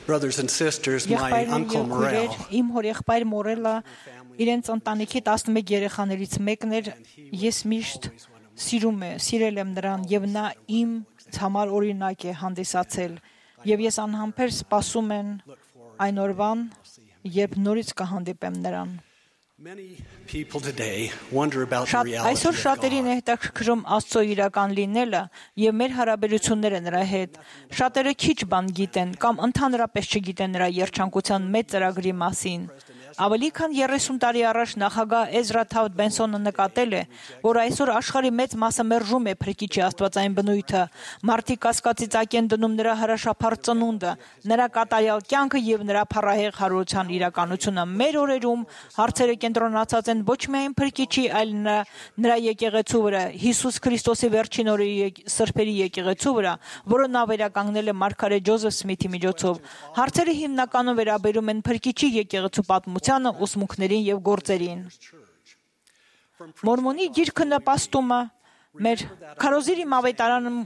brothers and sisters, my uncle Morel, Իմ հորեղբայր Մորելը իրենց ընտանիքի 11 երեխաներից մեկն էր, ես միշտ սիրել եմ նրան եւ նա իմ համար օրինակ է հանդիսացել եւ ես անհամբեր սպասում եմ այն օրվան, երբ նորից կհանդիպեմ նրան։ many people today wonder about the reality Այսօր of շատերին է հետաքրքրում Աստծո իրական լինելը եւ մեր հարաբերությունները նրա հետ։ Շատերը քիչ բան գիտեն կամ ընդհանրապես չգիտեն նրա երջանկության մեծ ծրագրի մասին։ Ավելի քան 30 տարի առաջ նախագահ Էզրա Թավթ Բենսոնը նկատել է, որ այսօր աշխարհի մեծ մասը մերժում է Փրկիչի աստվածային բնույթը, մարդիկ կասկածի ծակ են դնում նրա հրաշափառ ծնունդը, նրա կատարյալ կյանքը եւ նրա փառահեղ հարության իրականությունը։ Մեր օրերում հարցերը կենտրոնացած են ոչ միայն Փրկիչի, այլ նրա եկեղեցու վրա, Հիսուս Քրիստոսի վերջին օրի սրբերի եկեղեցու վրա, որը նա վերականգնել է մարգարե Ջոզեֆ Սմիթի միջոցով։ Հարցերը հիմնականում վերաբերում են Փրկիչի եկեղեցու պատմությանը, ուսմունքներին եւ գործերին։ Մորմոնի գիրքը նպաստում է մեր Քարոզիրի մավետարանում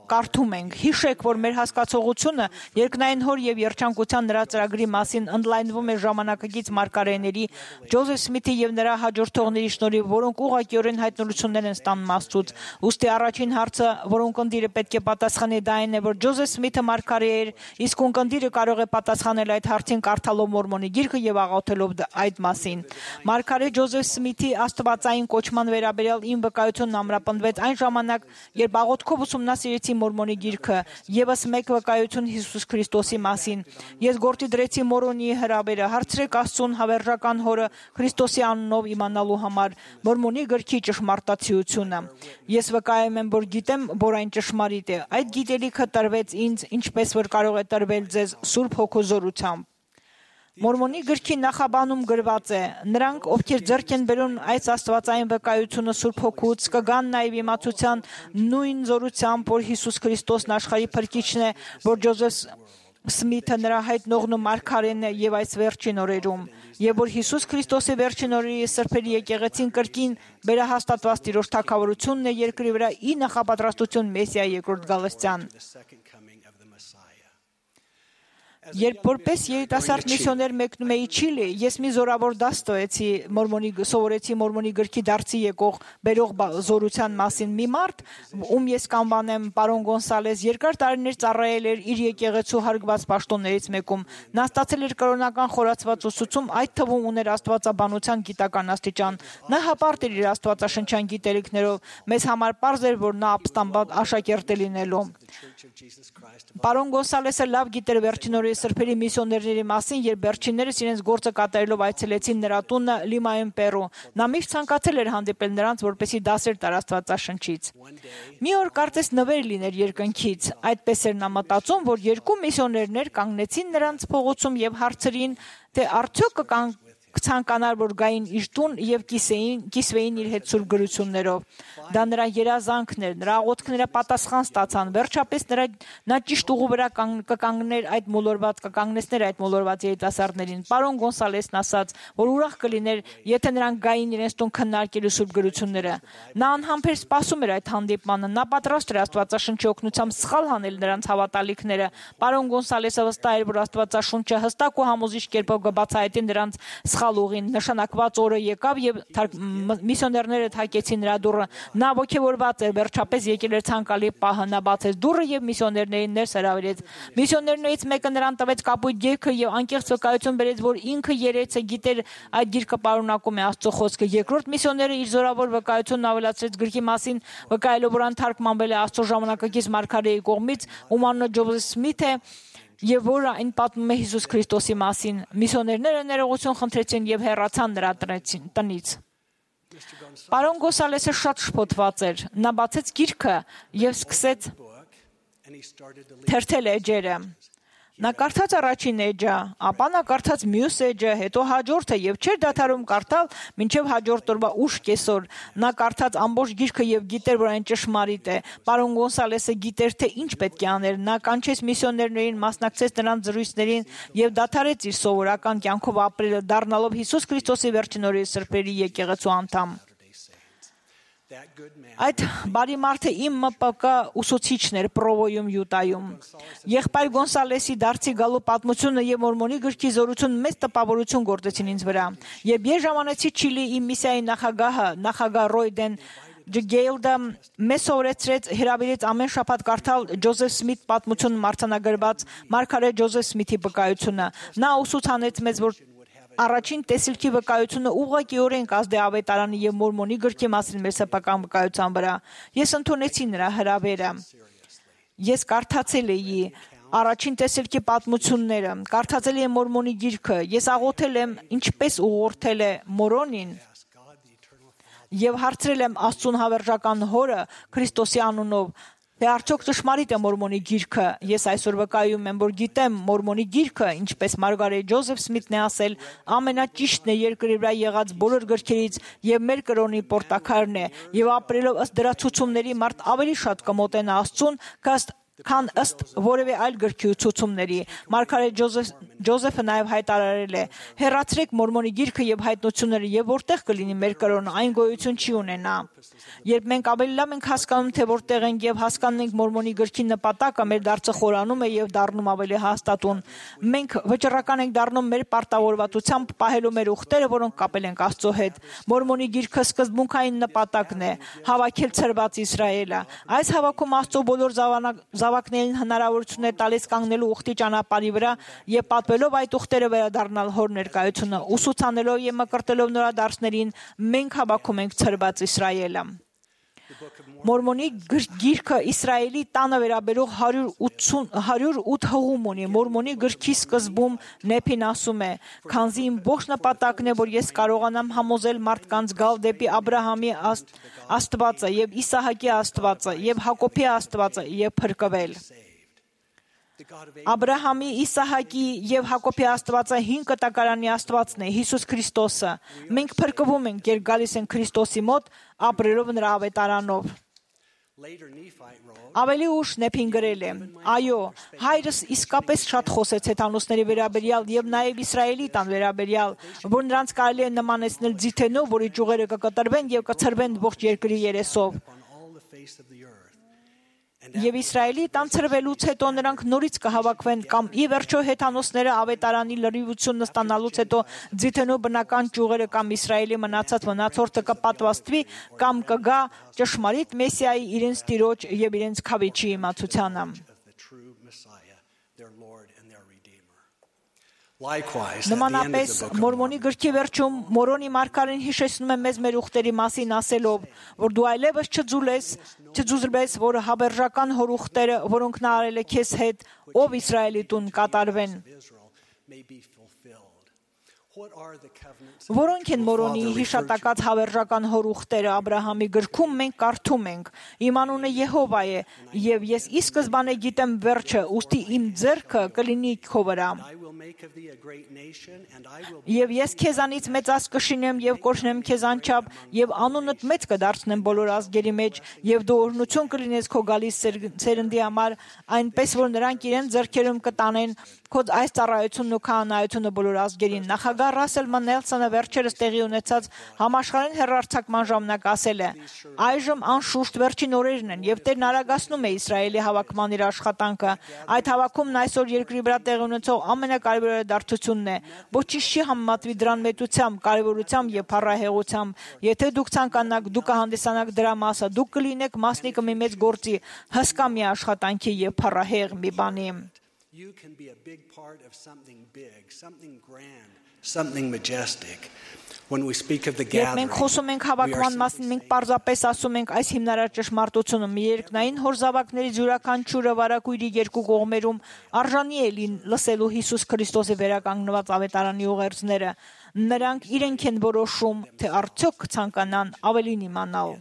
կարդում ենք. հիշեք, որ մեր հասկացողությունը երկնային հոր եւ երջանկության նրա ծրագրի մասին ընդլայնվում է ժամանակակից մարգարեների Ջոզեֆ Սմիթի եւ նրա հաջորդողների շնորհիվ, որոնք ուղղակիորեն հայտնություններ են ստանում Աստծուց։ Ուստի առաջին հարցը, որոնք ընտիրը պետք է պատասխանի, դա այն է, որ Ջոզեֆ Սմիթը մարգարե էր, իսկ ունկնդիրը կարող է պատասխանել այդ հարցին կարդալով Մորմոնի գիրքը եւ աղոթելով այդ մասին։ Մարգարե Ջոզեֆ Սմիթի աստվածային կոչման վերաբերյալ իմ վկայությունն ամրապնդվեց այն ժամանակ, երբ աղոթքով ուսումնասիրեցի Մորմոնի գիրքը, եւս մեկ վկայություն Հիսուս Քրիստոսի մասին։ Ես գործի դրեցի Մորմոնի հրավերը, հարցրեք Աստծուն հավերժական հորը Քրիստոսի անունով իմանալու համար Մորմոնի գրքի ճշմարտացիությունը։ Ես վկայում եմ, որ գիտեմ, որ այն ճշմարիտ է։ Այդ գիտելիքը տրվեց ինձ, ինչպես որ կարող է տրվել ձեզ Սուրբ Հոգու զորությամբ։ Մորմոնի գրքի նախաբանում գրված է. նրանք, ովքեր ձեռք են բերում այս աստվածային վկայությունը Սուրբ Հոգուց, կգան նաև իմացության նույն զորությամբ, որ Հիսուս Քրիստոսն աշխարհի Փրկիչն է, որ Ջոզեֆ Սմիթը նրա հայտնողն ու մարգարեն է եւ այս վերջին օրերում, եւ որ Հիսուս Քրիստոսի վերջին օրերի սրբերի եկեղեցին կրկին վերահաստատված Տիրոջ թագավորությունն է երկրի վրա՝ ի նախապատրաստություն Մեսիայի երկրորդ գալստյան։ Երբ որպես երիտասարդ միսիոներ մեկնում էի Չիլի, ես մի զորավոր դաս ստացի սովորեցի Մորմոնի գրքի դարձի եկող բերող զորության մասին։ Մի մարդ, ում ես կանվանեմ պարոն Գոնսալես, երկար տարիներ ծառայել էր իր եկեղեցու հարգված պաշտոններից մեկում։ Նա ստացել էր կրոնական խորացված ուսուցում, այդ թվում ուներ աստվածաբանության գիտական աստիճան։ Նա հպարտ էր իր աստվածաշնչյան գիտելիքներով, մեզ համար պարզ էր, որ նա ապստամբատ աշակերտ է լինելու։ Պարոն Գոնսալեսը լավ գիտեր վերջին օրերի սրբերի միսիոներների մասին, երբ վերջիններս իրենց գործը կատարելով այցելեցին նրա տունը Լիմայում, Պերու։ Նա միշտ ցանկացել էր հանդիպել նրանց, որպեսզի դասեր տար Աստվածաշնչից։ Մի օր կարծես նվեր լիներ երկնքից։ Այդպես էր նա մտածում, որ երկու միսիոներներ կանգնեցին նրանց փողոցում եւ հարցրին, թե արդյոք կցանկանար, որ գային իր տուն եւ կիսվեին իր հետ սուրբ գրություններով։ Դա նրա երազանքն էր, նրա աղոթքները պատասխան ստացան։ Վերջապես նա ճիշտ ուղու վրա կկանգնեցներ այդ մոլորված երիտասարդներին։ Պարոն Գոնսալեսն ասաց, որ ուրախ կլիներ, եթե նրանք գային իրենց տուն քննարկելու սուրբ գրությունները։ Նա անհամբեր սպասում էր այդ հանդիպմանը։ Նա պատրաստ էր Աստվածաշնչի օգնությամբ սխալ հանել նրանց հավատալիքները։ Պարոն Գոնսալեսը վստահ էր, որ Աստվածաշունչը հստակ ու համոզիչ կերպով կբացահայտի նրանց սխալ ուղին։ Նշանակված օրը եկավ եւ միսիոներները թակեցին նրա դուռը։ Նա ոգևորված էր, վերջապես եկել էր ցանկալի պահը։ Նա բացեց դուռը եւ միսիոներներին ներս հրավիրեց։ Միսիոներներից մեկը նրան տվեց կապույտ գիրքը եւ անկեղծ վկայություն բերեց, որ ինքը երեցը գիտեր այդ գիրքը պարունակում է Աստծո խոսքը։ Երկրորդ միսիոները իր զորավոր վկայությունն ավելացրեց գրքի մասին, վկայելով, որ ան թարգմանվել է Աստծո ժամանակակից մարգարեի կողմից, ում անունը Ջոզեֆ Սմիթ է, եւ որ այն պատմում է Հիսուս Քրիստոսի մասին։ Միսիոներները ներողություն խնդրեցին եւ հեռացան նրա տնից։ Պարոն Գոնսալեսը շատ շփոթված էր։ Նա բացեց գիրքը եւ սկսեց թերթել էջերը։ Նա կարդաց առաջին էջը, ապա նա կարդաց մյուս էջը, հետո հաջորդը եւ չէր դադարում կարդալ մինչեւ հաջորդ օրվա ուշ կեսօր։ Նա կարդաց ամբողջ գիրքը եւ գիտեր, որ այն ճշմարիտ է։ Պարոն Գոնսալեսը գիտեր, թե ինչ պետք է աներ։ Նա կանչեց միսիոներներին, մասնակցեց նրանց զրույցներին եւ դադարեց իր սովորական կյանքով ապրելը, դառնալով Հիսուս Քրիստոսի վերջին օրերի սրբերի եկեղեցու անդամ։ Այդ բարի մարդը իմ ՄՊԿ ուսուցիչն էր Պրովոյում Յուտայում։ Եղբայր Գոնսալեսի դարձի գալու պատմությունը եւ Մորմոնի գրքի զորություն մեծ տպավորություն գործեցին ինձ վրա։ Երբ ես ժամանեցի Չիլի իմ միսիայի նախագահ Ռոյդեն Ջգեյլդը մեզ սովորեցրեց հրավիրեց ամեն շաբաթ կարդալ Ջոզեֆ Սմիթ պատմություն մարտանագրված Մարգարետ Ջոզեֆ Սմիթի վկայությունը։ Նա ուսուցանեց մեզ, որ առաջին տեսիլքի վկայությունը ուղղակիորեն կազդե ավետարանի եւ Մորմոնի գրքի մասին մեր սեփական վկայության վրա։ Ես ընդունեցի նրա հրավերը։ Ես կարդացել էի առաջին տեսիլքի պատմությունները, կարդացել եմ Մորմոնի գիրքը, ես աղոթել եմ ինչպես ուղղորդել է Մորոնին եւ հարցրել եմ Աստծուն հավերժական հորը Քրիստոսի անունով, թե արդյոք ճշմարիտ է Մորմոնի գիրքը։ Ես այսօր վկայում եմ, որ գիտեմ Մորմոնի գիրքը, ինչպես Մարգարետ Ջոզեֆ Սմիթն է ասել, ամենաճիշտն է երկրի վրա եղած բոլոր գրքերից եւ մեր կրոնի պորտակարն է, եւ ապրելով ըստ դրա ցուցումների մարդ ավելի շատ կմոտենա Աստծուն, քան ըստ որևէ այլ գրքի ցուցումների։ Մարգարետ Ջոզեֆը նաև հայտարարել է. հեռացրեք Մորմոնի գիրքը եւ հայտնությունները եւ որտեղ կլինի մեր կրոնը, այն գոյություն չի ունենա։ Երբ մենք ավելի լավ ենք հասկանում, թե որտեղ ենք եւ հասկանում ենք Մորմոնի գրքի նպատակը, մեր դարձը խորանում է եւ դառնում ավելի հաստատուն։ Մենք վճռական ենք դառնում մեր պարտավորվածությամբ պահելու մեր ուխտերը, որոնք կապել ենք Աստծո հետ։ Մորմոնի գիրքը սկզբունքային նպատակն է հավաքել ցրված Իսրայելը։ Այս հավաքում Աստծո բոլոր զավակներին հնարավորություն է տալիս կանգնելու ուխտի ճանապարհի վրա եւ պատվելով այդ ուխտերը վերադառնալ հոր ներկայությունը, ուսուցանելով եւ մկրտելով նորադարձներին, մենք հավաքում ենք ցրված Իսրայելը։ Մորմոնի գիրքը Իսրայելի տանը վերաբերող 108 հղում ունի։ Մորմոնի գրքի սկզբում Նեփին ասում է. «Քանզի իմ ողջ նպատակն է, որ ես կարողանամ համոզել մարդկանց գալ դեպի Աբրահամի Աստվածը եւ Իսահակի Աստվածը եւ Հակոբի Աստվածը եւ փրկվել»։ Աբրահամի, Իսահակի եւ Հակոբի Աստվածը հին կտակարանի Աստվածն է, Հիսուս Քրիստոսը։ Մենք փրկվում ենք, երբ գալիս ենք Քրիստոսի մոտ, ապրելով նրա ավետարանով։ Ավելի ուշ Նեփին գրել է. «Այո, հայրս իսկապես շատ խոսեց հեթանոսների վերաբերյալ եւ նաեւ Իսրայելի տան վերաբերյալ, որ նրանց կարելի է նմանեցնել ձիթենով, որի ճյուղերը կկտրվեն եւ կցրվեն ողջ երկրի երեսով։ Եվ Իսրայելի տան ցրվելուց հետո նրանք նորից կհավաքվեն կամ ի վերջո հեթանոսները ավետարանի լրիվությունը ստանալուց հետո ձիթենու բնական ճյուղերը կամ Իսրայելի մնացած մնացորդը կպատվաստվի կամ կգա ճշմարիտ Մեսիայի իրենց տիրոջ եւ իրենց քավիչի իմացությանը»։ Նմանապես Մորմոնի գրքի վերջում Մորոնի մարգարեն հիշեցնում է մեզ մեր ուխտերի մասին ասելով, որ դու այլևս չձուզրվես, որ հավերժական հոր ուխտերը, որոնք նա արել է քեզ հետ, ով Իսրայելի տուն կատարվեն։ Որոնք են Մորոնի հիշատակած հավերժական հոր ուխտերը Աբրահամի գրքում մենք կարդում ենք. «Իմ անունը Եհովա է, եւ ես ի սկզբանե գիտեմ վերջը, ուստի իմ ձեռքը կլինի քո վրա։ Եվ ես քեզանից մեծած կշինեմ եւ կոչնեմ քեզ անչափ, եւ անունդ մեծ կդարձնեմ բոլոր ազգերի մեջ, եւ դու օրհնություն կլինես քո գալիս սերնդի համար, այնպես որ նրանք իրեն ձեռքերում կտանեն քո այս ծառայությունն ու քահանայությունը բոլոր ազգերին»։ Նախագահ Ռասել Նելսոնը վերջերս տեղի ունեցած համաշխարհային հեռարձակման ժամանակ ասել է. «Այժմ անշուշտ վերջին օրերն են, եւ Տերն արագացնում է Իսրայելի հավաքման իր աշխատանքը։ Այդ հավաքումն այսօր երկրի վրա տեղի ունեցող ամենակարևոր իրադարձությունն է։ Ոչինչ չի համեմատվի դրան մեծությամբ, կարևորությամբ եւ փառահեղությամբ։ Եթե դուք ցանկանաք, դուք կհանդիսանաք դրա մասը, դուք կլինեք մասնիկը մի մեծ գործի, հսկա մի աշխատանքի եւ փառահեղ մի բանի»։ You can be a big part of something big, something grand, something majestic. When we speak of the gathering, մենք խոսում ենք հավաքման մասին, մենք պարզապես ասում ենք այս հիմնարար ճշմարտությունը՝ մի երկնային հոր զավակների յուրաքանչյուրը վարակույրի երկու կողմերում արժանի է լսելու Հիսուս Քրիստոսի վերականգնված ավետարանի ուղերձները։ Նրանք իրենք են որոշում, թե արդյոք կցանկանան ավելին իմանալ։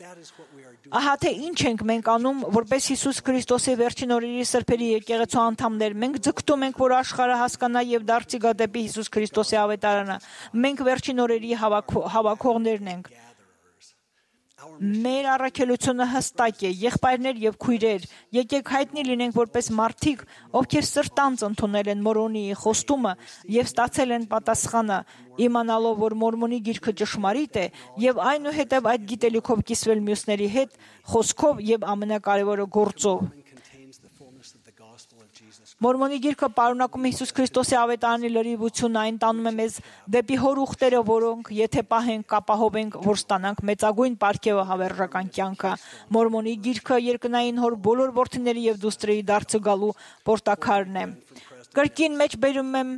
Ահա թե ինչ ենք մենք անում, որպես Հիսուս Քրիստոսի վերջին օրերի սրբերի եկեղեցու անդամներ, մենք ձգտում ենք, որ աշխարհը հասկանա եւ դարձի գա դեպի Հիսուս Քրիստոսի ավետարանը։ Մենք վերջին օրերի հավաքողներն ենք։ Մեր առաքելությունը հստակ է, եղբայրներ եւ քույրեր, եկեք հայտնի լինենք որպես մարդիկ, ովքեր սրտանց ընդունել են Մորմոնիի խոստումը եւ ստացել են պատասխանը, իմանալով, որ Մորմոնի գիրքը ճշմարիտ է եւ այնուհետեւ այդ գիտելիքով կիսվել մյուսների հետ, խոսքով եւ ամենակարևորը գործով։ Մորմոնի գիրքը պարունակում է Հիսուս Քրիստոսի ավետարանի լրիվությունը, այն տանում է մեզ դեպի հոր ուխտերը, որոնք եթե պահենք, կապահովենք, որ ստանանք մեծագույն պարգևը հավերժական կյանքը։ Մորմոնի գիրքը երկնային հոր բոլոր որդիների եւ դուստրերի դարձը գալու պորտակարն է։ Կրկին մեջ բերում եմ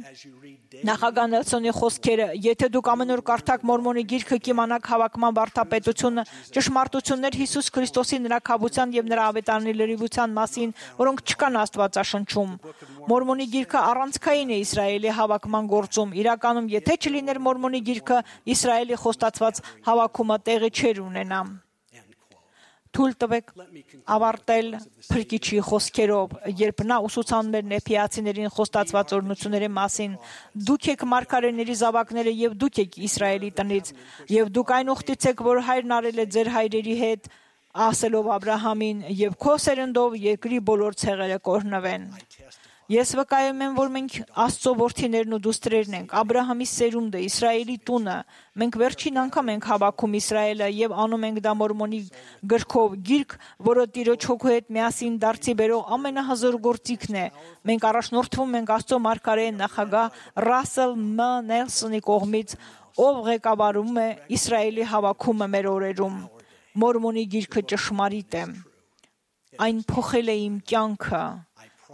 նախագահ Նելսոնի խոսքերը. եթե դուք ամեն օր կարդաք Մորմոնի գիրքը, կիմանաք հավաքման վարդապետությունը, ճշմարտություններ Հիսուս Քրիստոսի նրա քավության եւ նրա ավետարանի լրիվության մասին, որոնք չկան Աստվածաշնչում։ Մորմոնի գիրքը առանցքային է Իսրայելի հավաքման գործում։ Իրականում, եթե չլիներ Մորմոնի գիրքը, Իսրայելի խոստացված հավաքումը տեղի չէր ունենա։ Թույլ տվեք ավարտել Փրկիչի խոսքերով, երբ նա ուսուցանում էր նեփիացիներին խոստացված օրհնությունների մասին. դուք եք մարգարեների զավակները եւ դուք եք Իսրայելի տնից, եւ դուք այն ուխտից եք, որ հայրն արել է ձեր հայրերի հետ, ասելով Աբրահամին, եւ քո սերնդով երկրի բոլոր ցեղերը կօրհնվեն։ Ես վկայում եմ, որ մենք Աստծո որդիներն ու դուստրերն ենք, Աբրահամի սերունդը, Իսրայելի տունը։ Մենք վերջին անգամ ենք հավաքում Իսրայելը եւ անում ենք դա Մորմոնի գրքով, գիրք, որը Տիրոջ հոգու հետ միասին դարձի բերող ամենահզոր գործիքն է։ Մենք առաջնորդվում ենք Աստծո մարգարե նախագահ Ռասել Մ. Նելսոնի կողմից, ով ղեկավարում է Իսրայելի հավաքումը մեր օրերում։ Մորմոնի գիրքը ճշմարիտ է։ Այն փոխել է իմ կյանքը։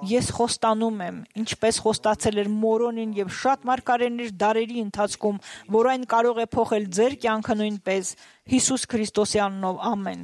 Ես խոստանում եմ, ինչպես խոստացել էր Մորոնին եւ շատ մարգարեներ դարերի ընթացքում, որ այն կարող է փոխել ձեր կյանքը նույնպես Հիսուս Քրիստոսի անունով, ամեն։